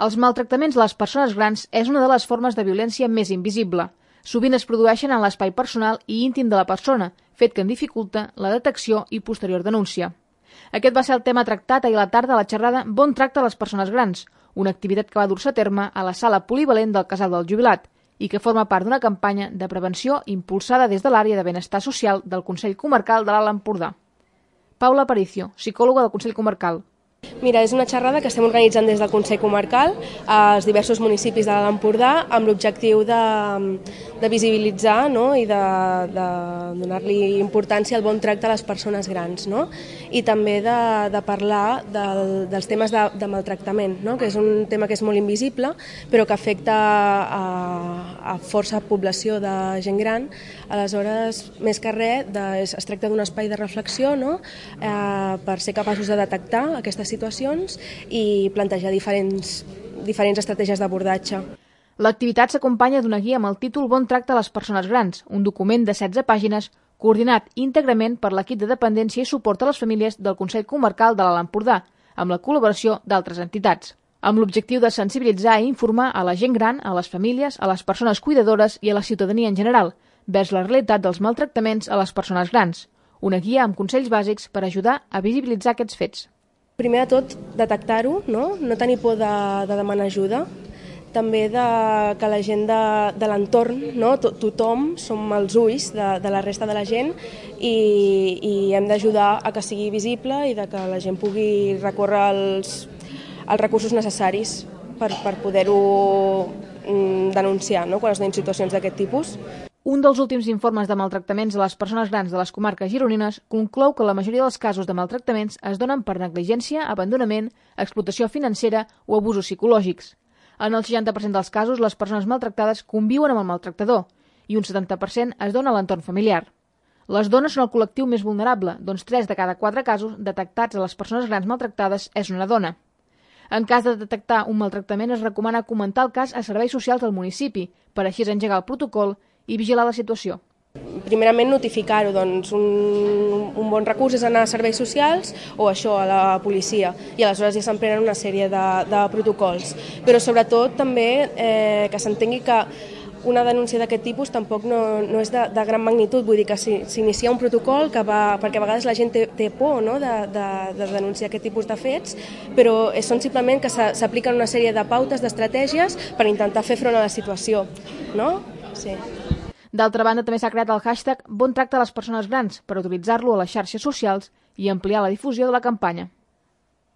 Els maltractaments a les persones grans és una de les formes de violència més invisible. Sovint es produeixen en l'espai personal i íntim de la persona, fet que en dificulta la detecció i posterior denúncia. Aquest va ser el tema tractat ahir a la tarda a la xerrada Bon tracte a les persones grans, una activitat que va dur-se a terme a la sala polivalent del Casal del Jubilat i que forma part d'una campanya de prevenció impulsada des de l'àrea de benestar social del Consell Comarcal de l'Alt Empordà. Paula Aparicio, psicòloga del Consell Comarcal. Mira, és una xerrada que estem organitzant des del Consell Comarcal als diversos municipis de l'Alt Empordà amb l'objectiu de visibilitzar, no? I de donar-li importància al bon tracte a les persones grans, no? I també de parlar dels temes de maltractament, no? Que és un tema que és molt invisible però que afecta a força població de gent gran. Aleshores, més que res, es tracta d'un espai de reflexió, no? Per ser capaços de detectar aquestes situacions i plantejar diferents estratègies d'abordatge. L'activitat s'acompanya d'una guia amb el títol Bon tracte a les persones grans, un document de 16 pàgines coordinat íntegrament per l'equip de dependència i suport a les famílies del Consell Comarcal de l'Alt Empordà, amb la col·laboració d'altres entitats, amb l'objectiu de sensibilitzar i informar a la gent gran, a les famílies, a les persones cuidadores i a la ciutadania en general, vers la realitat dels maltractaments a les persones grans. Una guia amb consells bàsics per ajudar a visibilitzar aquests fets. Primer de tot, detectar-ho, no tenir por de demanar ajuda, també que la gent de l'entorn, no? Tothom som els ulls de la resta de la gent i hem d'ajudar a que sigui visible i que la gent pugui recórrer als recursos necessaris per poder-ho denunciar, no? Quan es donin situacions d'aquest tipus. Un dels últims informes de maltractaments a les persones grans de les comarques gironines conclou que la majoria dels casos de maltractaments es donen per negligència, abandonament, explotació financera o abusos psicològics. En el 60% dels casos, les persones maltractades conviuen amb el maltractador i un 70% es dona a l'entorn familiar. Les dones són el col·lectiu més vulnerable, doncs 3 de cada 4 casos detectats a les persones grans maltractades és una dona. En cas de detectar un maltractament, es recomana comentar el cas a serveis socials del municipi, per així engegar el protocol i vigilar la situació. Primerament notificar-ho, doncs un bon recurs és anar a serveis socials o això, a la policia, i aleshores ja s'emprenen una sèrie de protocols. Però sobretot també que s'entengui que una denúncia d'aquest tipus tampoc no és de gran magnitud, vull dir que s'inicia un protocol perquè a vegades la gent té por, no? de denunciar aquest tipus de fets, però són simplement que s'apliquen una sèrie de pautes, d'estratègies per intentar fer front a la situació, no? Sí. D'altra banda, també s'ha creat el hashtag Bon tracte a les persones grans per utilitzar-lo a les xarxes socials i ampliar la difusió de la campanya.